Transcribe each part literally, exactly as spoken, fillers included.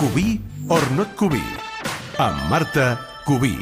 Cubí or not Cubí, amb Marta Cubí.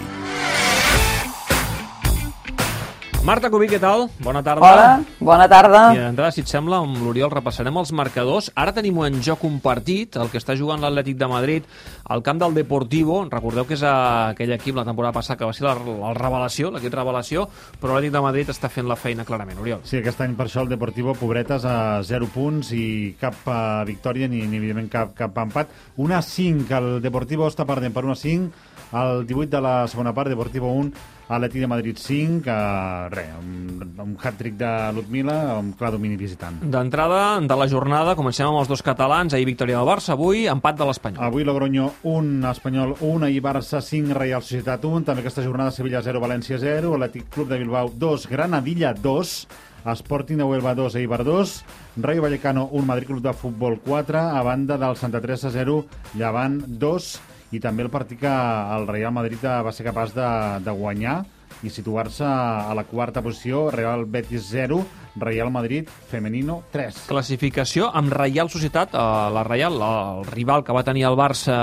Marta Cubí, què tal? Bona tarda. Hola, bona tarda. I d'entrada, si et sembla, amb l'Oriol repassarem els marcadors. Ara tenim en joc un partit, el que està jugant l'Atlètic de Madrid al camp del Deportivo. Recordeu que és aquell equip la temporada passada que va ser la, la revelació, l'equip revelació, però l'Atlètic de Madrid està fent la feina clarament, Oriol. Sí, aquest any per això el Deportivo, pobretes, a zero punts i cap uh, victòria ni, ni evidentment cap, cap empat. un a cinc, el Deportivo està perdent per un a cinc, al divuit de la segona part, Deportivo un, Atlètic de Madrid cinc, uh, res, un, un hat-trick de Ludmila, un clar domini visitant. D'entrada, de la jornada, comencem amb els dos catalans. Ahir victòria del Barça, avui empat de l'Espanyol. Avui Logroño un, Espanyol un, ahir Barça cinc, Reial Societat un, també aquesta jornada Sevilla zero, València zero, Atlètic Club de Bilbao dos, Granadilla dos, Sporting de Huelva dos, Eibar dos, Rayo Vallecano un, Madrid Club de Futbol quatre, a banda del Santa Teresa zero, Llevant dos, i també el partit que el Real Madrid va ser capaç de, de guanyar i situar-se a la quarta posició, Real Betis zero, Real Madrid Femenino tres. Classificació amb Reial Societat, eh, la Reial, el rival que va tenir el Barça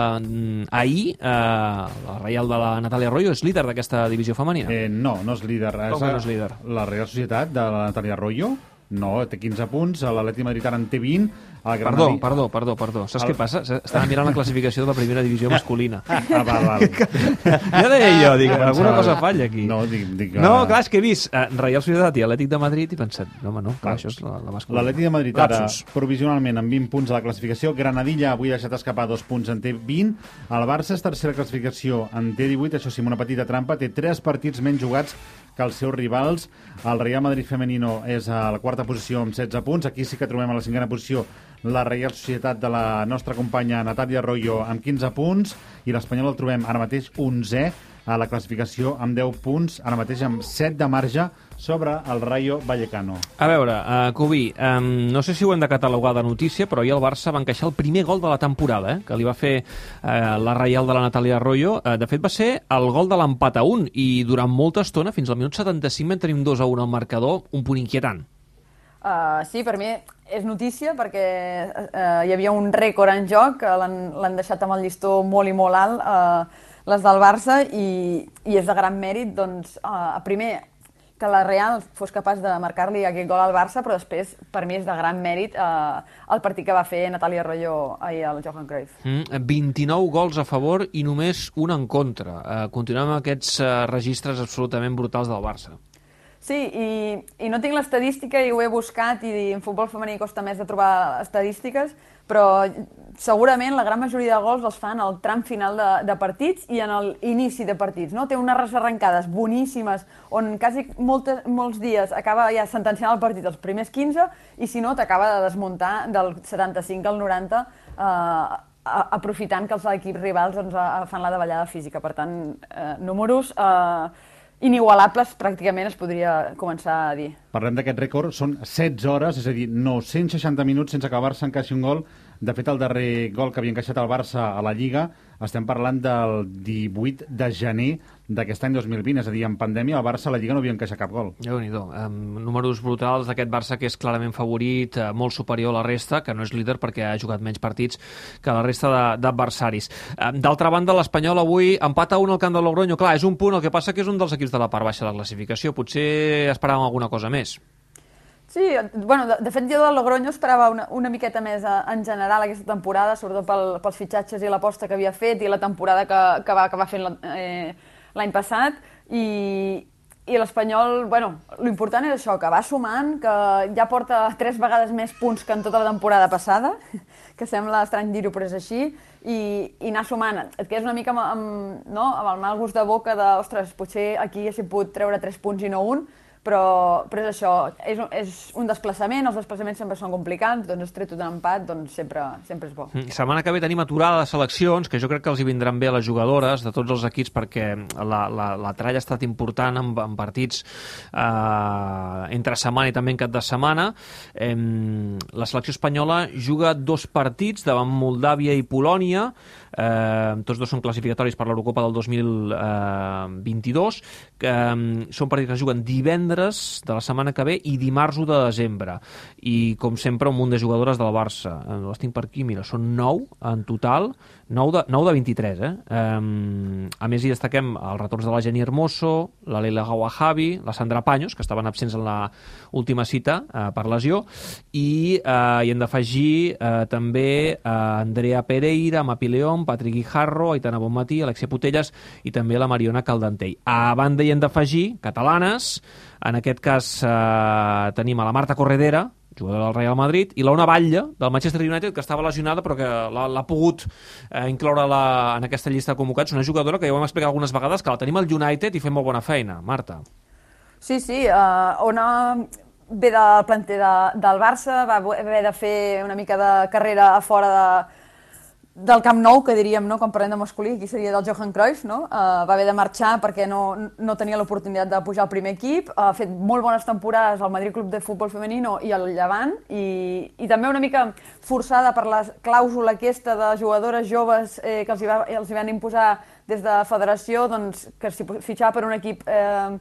ahir, eh, la Reial de la Natàlia Arroyo, és líder d'aquesta divisió femenina. Eh, no, no és líder. Com que no és líder? La Real Societat de la Natàlia Arroyo, no, té quinze punts, l'Atlètic de Madrid ara en té vint. Perdó, perdó, perdó, perdó. Saps el... què passa? Estava mirant la classificació de la primera divisió masculina. Ah, val, val. Ja deia jo, dic, alguna cosa falla aquí. No, dic, dic, no clar, és que he vist uh, Reial Societat i Atlètic de Madrid i he pensat, no, home, no, clar, això és la, la masculina. L'Atlètic de Madrid ara, provisionalment, amb vint punts a la classificació. Granadilla avui ha deixat escapar dos punts, en té vint. El Barça és tercera classificació, en té divuit, això sí, amb una petita trampa, té tres partits menys jugats que els seus rivals. El Real Madrid Femenino és a la quarta posició amb setze punts. Aquí sí que trobem a la cinquena posició la Reial Societat de la nostra companya Natàlia Arroyo amb quinze punts i l'Espanyol el trobem ara mateix onzè a la classificació amb deu punts, ara mateix amb set de marge sobre el Rayo Vallecano. A veure, uh, Cubí, um, no sé si ho hem de catalogar de notícia, però ahir el Barça va encaixar el primer gol de la temporada, eh, que li va fer uh, la Reial de la Natàlia Arroyo. Uh, de fet, va ser el gol de l'empat a un i durant molta estona, fins al minut setanta-cinc, vam tenir un dos a un al marcador, un punt inquietant. Uh, sí, per mi és notícia perquè uh, hi havia un rècord en joc, que l'han deixat amb el llistó molt i molt alt, uh, les del Barça, i, i és de gran mèrit, doncs, uh, primer, que la Real fos capaç de marcar-li aquest gol al Barça, però després, per mi, és de gran mèrit uh, el partit que va fer Natàlia Arroyo ahir al Johan Cruyff. Mm, vint-i-nou gols a favor i només un en contra. Uh, continuem amb aquests uh, registres absolutament brutals del Barça. Sí, i, i no tinc l'estadística i ho he buscat i en futbol femení costa més de trobar estadístiques, però segurament la gran majoria de gols els fan al tram final de, de partits i en l'inici de partits. No? Té unes arrencades boníssimes on quasi moltes, molts dies acaba ja sentenciant el partit els primers quinze i si no t'acaba de desmuntar del setanta-cinc al noranta eh, aprofitant que els equips rivals doncs, fan la davallada física. Per tant, eh, números... Eh, inigualables, pràcticament es podria començar a dir. Parlem d'aquest rècord, són setze hores, és a dir, nou-cents seixanta minuts sense que el Barça encaixi un gol. De fet, el darrer gol que havia encaixat el Barça a la Lliga, estem parlant del divuit de gener d'aquest any dos mil vint, és a dir, en pandèmia el Barça a la Lliga no havia encaixat cap gol. Déu-n'hi-do, um, números brutals d'aquest Barça que és clarament favorit, uh, molt superior a la resta, que no és líder perquè ha jugat menys partits que la resta d'adversaris. Um, D'altra banda, l'Espanyol avui empat a un al camp de Logroño. Clar, és un punt, el que passa que és un dels equips de la part baixa de la classificació. Potser esperàvem alguna cosa més. Sí, bueno, de, de fet jo del Logroño esperava una, una miqueta més a, en general aquesta temporada, sobretot pel, pels fitxatges i l'aposta que havia fet i la temporada que, que va acabar fent l'any eh, passat i, i l'Espanyol, bueno, l'important és això, que va sumant, que ja porta tres vegades més punts que en tota la temporada passada, que sembla estrany dir-ho però és així, i, i anar sumant. Et quedes una mica amb, amb, no? amb el mal gust de boca de, ostres, potser aquí haguéssim pogut treure tres punts i no un, Però, però és això, és, és un desplaçament, els desplaçaments sempre són complicats, doncs has tret un empat, doncs sempre, sempre és bo. Setmana que ve tenim aturada de seleccions, que jo crec que els hi vindran bé a les jugadores de tots els equips, perquè la, la, la tralla ha estat important en, en partits eh, entre setmana i també en cap de setmana. Eh, la selecció espanyola juga dos partits davant Moldàvia i Polònia, eh, tots dos són classificatoris per l'Eurocopa del dos mil vint-i-dos, que eh, són partits que es juguen divendres divendres de la setmana que ve i dimarts u de desembre. I, com sempre, un munt de jugadores del Barça. Les tinc per aquí, mira, són nou en total, nou de, nou de vint-i-tres, eh? Um, a més, hi destaquem els retorns de la Jenny Hermoso, la Leila Gawahabi, la Sandra Paños, que estaven absents en la última cita uh, per lesió, i uh, hi hem d'afegir uh, també uh, Andrea Pereira, Mapi León, Patrick Guijarro, Aitana Bonmatí, Alexia Putellas i també la Mariona Caldentell. A banda hi hem d'afegir catalanes, en aquest cas eh, tenim a la Marta Corredera, jugadora del Real Madrid, i l'Ona Batlle, del Manchester United, que estava lesionada però que l'ha pogut eh, incloure la, en aquesta llista de convocats, una jugadora que ja ho hem explicat algunes vegades, que la tenim al United i fem molt bona feina. Marta. Sí, sí, uh, Ona ve del planter de, del Barça, va haver de fer una mica de carrera a fora de del Camp Nou, que diríem, no? Quan parlem de masculí, aquí seria del Johan Cruyff, no? Uh, va haver de marxar perquè no, no tenia l'oportunitat de pujar al primer equip, uh, ha fet molt bones temporades al Madrid Club de Futbol Femenino i al Llevant, i, i també una mica forçada per la clàusula aquesta de jugadores joves eh, que els hi, va, els hi van imposar des de federació, doncs, que si fitxava per un equip eh,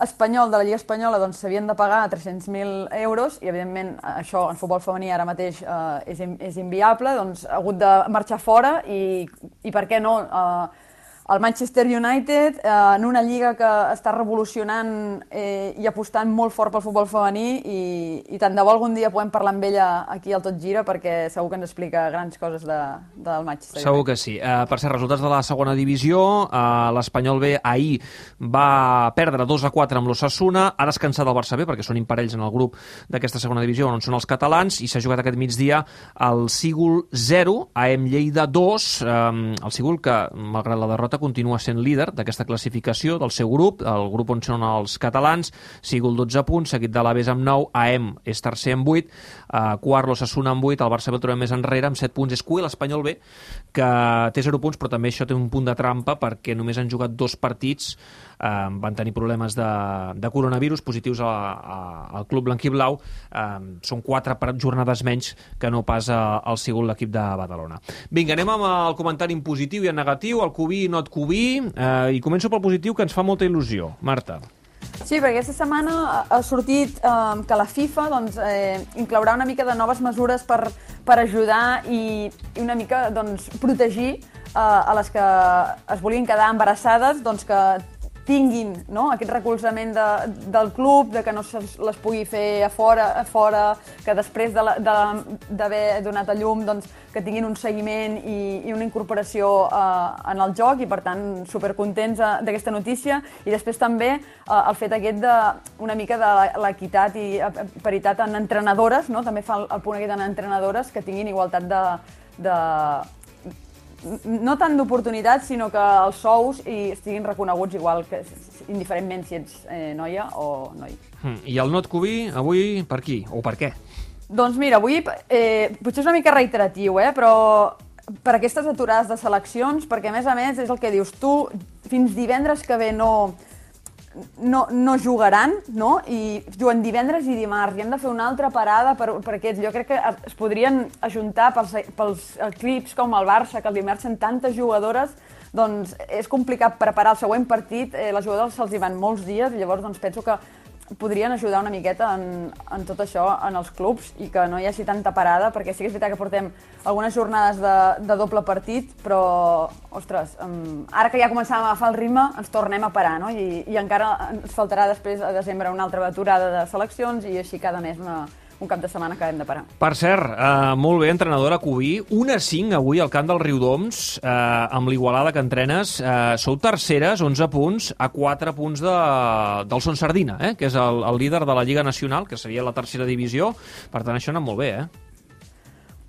espanyol de la Lliga Espanyola doncs s'havien de pagar tres-cents mil euros i, evidentment, això en futbol femení ara mateix eh, és, és inviable, doncs ha hagut de marxar fora i, i per què no, eh, el Manchester United, eh, en una lliga que està revolucionant eh, i apostant molt fort pel futbol femení i, i tant de bo algun dia podem parlar amb ella aquí al Tot Gira perquè segur que ens explica grans coses de, del Manchester United. Segur que sí. Uh, per cert, resultats de la segona divisió, uh, l'Espanyol B ahir va perdre dos a quatre amb l'Osasuna, ha descansat el Barça B perquè són imparells en el grup d'aquesta segona divisió on són els catalans i s'ha jugat aquest migdia el Sigul zero, A E M Lleida dos, um, el Sigul que, malgrat la derrota, continua sent líder d'aquesta classificació del seu grup, el grup on són els catalans, Sigul dotze punts, seguit de l'Aves amb nou, A E M és tercer amb vuit, uh, quart l'Osasuna amb vuit, el Barça B el trobem més enrere amb set punts, és cué l'Espanyol B, que té zero punts, però també això té un punt de trampa perquè només han jugat dos partits, eh, van tenir problemes de, de coronavirus positius a, a, al club blanquiblau, eh, són quatre jornades menys que no pas al Sigul, l'equip de Badalona. Vinga, anem amb el comentari en positiu i en negatiu, el Cubí i not Cubí, eh, i començo pel positiu que ens fa molta il·lusió. Marta. Sí, perquè aquesta setmana ha sortit eh, que la FIFA doncs, eh, inclourà una mica de noves mesures per, per ajudar i, i una mica doncs, protegir eh, a les que es volien quedar embarassades, doncs, que tinguin, no?, aquest recolzament de, del club, de que no se les pugui fer a fora, a fora que després d'haver de de, donat a llum doncs, que tinguin un seguiment i, i una incorporació eh, en el joc i, per tant, supercontents eh, d'aquesta notícia. I després també eh, el fet aquest de una mica de l'equitat i paritat en entrenadores, no?, també fa el, el punt aquest en entrenadores que tinguin igualtat de... de no tant d'oportunitats, sinó que els sous hi estiguin reconeguts igual, que indiferentment si ets eh, noia o noi. Mm. I el not Cubí, avui, per qui? O per què? Doncs mira, avui eh, potser és una mica reiteratiu, eh, però per aquestes aturades de seleccions, perquè a més a més és el que dius tu, fins divendres que ve no... No, no jugaran, no? I juguen divendres i dimarts, i hem de fer una altra parada per, per aquests. Jo crec que es podrien ajuntar pels, pels equips com el Barça, que els immersen tantes jugadores, doncs és complicat preparar el següent partit, eh, les jugadores se'ls hi van molts dies, i llavors doncs, penso que podrien ajudar una miqueta en, en tot això en els clubs i que no hi hagi tanta parada, perquè sí que és veritat que portem algunes jornades de, de doble partit, però, ostres, um, ara que ja començàvem a agafar el ritme, ens tornem a parar, no? I, i encara ens faltarà després a desembre una altra aturada de seleccions i així cada mes una, un cap de setmana que hem de parar. Per cert, eh, molt bé, entrenadora Cubí, un a cinc avui al camp del Riudoms, eh, amb l'Igualada que entrenes, eh, sou terceres, onze punts, a quatre punts de, del Son Sardina, eh, que és el, el líder de la Lliga Nacional, que seria la tercera divisió, per tant això ha anat molt bé, eh?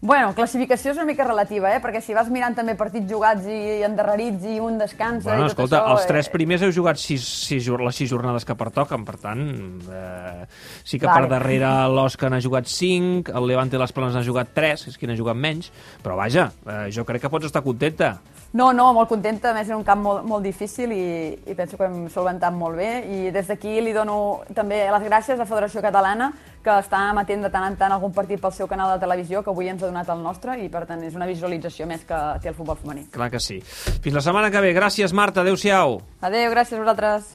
Bueno, classificació és una mica relativa, eh? Perquè si vas mirant també partits jugats i endarrerits i un descansa bueno, i tot escolta, això... els tres primers heu jugat sis, sis, les sis jornades que pertoquen, per tant, eh, sí que vale. Per darrere l'Òscar n'ha jugat cinc, el Levante i les Planes n'ha jugat tres, és qui n'ha jugat menys, però vaja, eh, jo crec que pots estar contenta. No, no, molt contenta, a més és un camp molt, molt difícil i, i penso que hem solventat molt bé i des d'aquí li dono també les gràcies a la Federació Catalana que està emetent de tant en tant algun partit pel seu canal de televisió que avui ens ha donat el nostre i per tant és una visualització més que té el futbol femení. Clar que sí. Fins la setmana que ve. Gràcies, Marta. Adéu-siau. Adéu, gràcies a vosaltres.